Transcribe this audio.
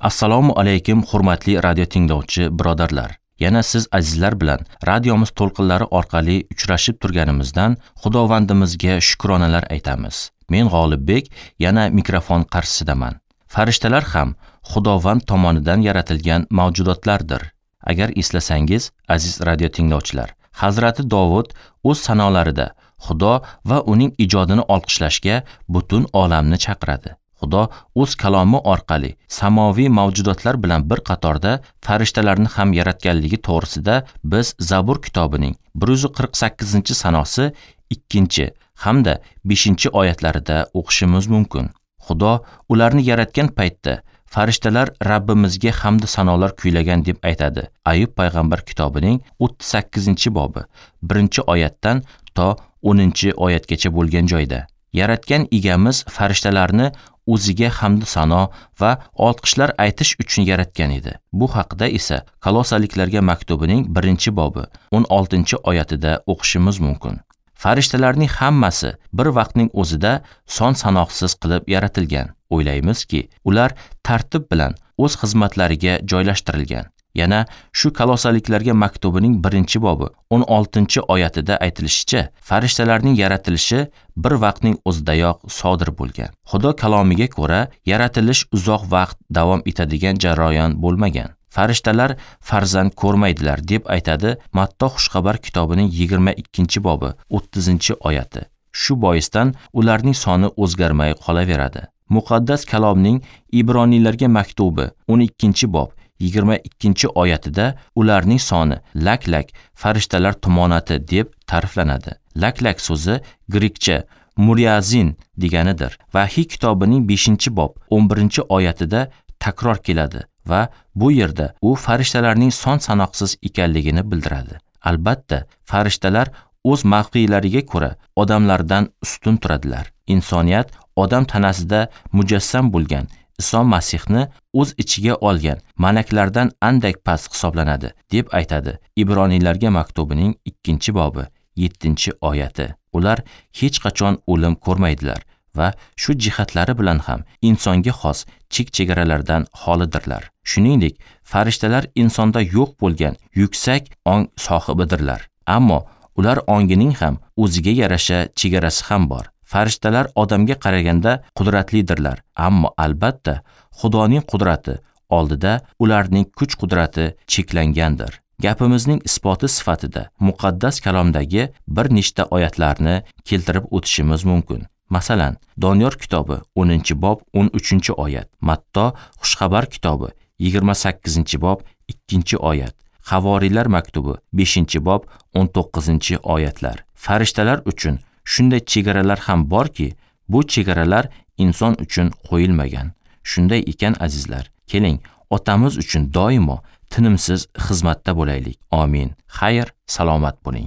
Assalomu alaykum hurmatli radio tinglovchi birodarlar. Yana siz azizlar bilan radiomiz to'lqinlari orqali uchrashib turganimizdan Xudovandimizga shukronalar aytamiz. Men G'olibbek yana mikrofon qarshisidaman. Farishtalar ham Xudovand tomonidan yaratilgan mavjudotlardir. Agar eslasangiz, aziz radio tinglovchilar, Hazrati Dovud o'z sanolarida Xudo va uning ijodini olqishlashga butun olamni chaqiradi. Xudo o'z kalomi orqali samoviy mavjudotlar bilan bir qatorda farishtalarni ham yaratganligi to'g'risida biz Zabur kitobining 148-sanosi 2 hamda 5-oyatlarida o'qishimiz mumkin. Xudo ularni yaratgan paytda farishtalar Rabbimizga hamd sanolar kuylagan deb aytadi. Ayub payg'ambar kitobining 38-bobi 1-oyatdan to 10-oyatgacha bo'lgan joyda. Yaratgan egamiz farishtalarni o'ziga hamd sano va olqishlar aytish uchun yaratgan edi. Bu haqida esa Kolosaliklarga maktubining 1-bobi 16-oyatida o'qishimiz mumkin. Farishtalarning hammasi bir vaqtning o'zida son sanoqsiz qilib yaratilgan. O'ylaymizki, ular tartib bilan o'z xizmatlariga joylashtirilgan. Yana shu Kolosaliklarga maktubining 1-bobi 16-oyatida aytilishicha, farishtalarning yaratilishi bir vaqtning o'zidayoq sodir bo'lgan. Xudo kalomiga ko'ra, yaratilish uzoq vaqt davom etadigan jarayon bo'lmagan. Farishtalar farzand ko'rmaydilar deb aytadi Matto Xushxabar kitobining 22-bobi 30-oyati. Shu boisdan ularning soni o'zgarmay qolaveradi. Muqaddas kalomning Ibroniylarga maktubi 12-bob 22-oyatida ularning soni lak-lak farishtalar tumonati deb ta'riflanadi. Lak-lak so'zi grekcha muriazin deganidir. Vahiy kitobining 5-bob 11-oyatida takror keladi va bu yerda u farishtalarning son sanoqsiz ekanligini bildiradi. Albatta, farishtalar o'z mavqelariga ko'ra odamlardan ustun turadilar. Insoniyat odam tanasida mujassam bo'lgan Iso Masihni o'z ichiga olgan malaklardan andak past hisoblanadi deb aytadi Ibroniylarga maktubining 2-bobi 7-oyati. Ular hech qachon o'lim ko'rmaydilar va shu jihatlari bilan ham insonga xos chek-chegaralardan xolidirlar. Shuningdek, farishtalar insonda yo'q bo'lgan yuksak ong sohibidirlar. Ammo ular ongining ham o'ziga yarasha chegarasi ham bor. Farishtalar odamga qaraganda qudratlidirlar, ammo albatta Xudoning qudrati oldida ularning kuch-qudrati cheklangandir. Gapimizning isboti sifatida muqaddas kalomdagi bir nechta oyatlarni keltirib o'tishimiz mumkin. Masalan, Doniyor kitobi 10-bob 13-oyat, Matto Xushxabar kitobi 28-bob 2-oyat, Havoriylar maktubi 5-bob 19-oyatlar. Farishtalar uchun shunday chegaralar ham borki, bu chegaralar inson uchun qo'yilmagan. Shunday ekan azizlar, keling, otamiz uchun doimo tinimsiz xizmatda bo'laylik. Amin. Xayr, salomat bo'ling.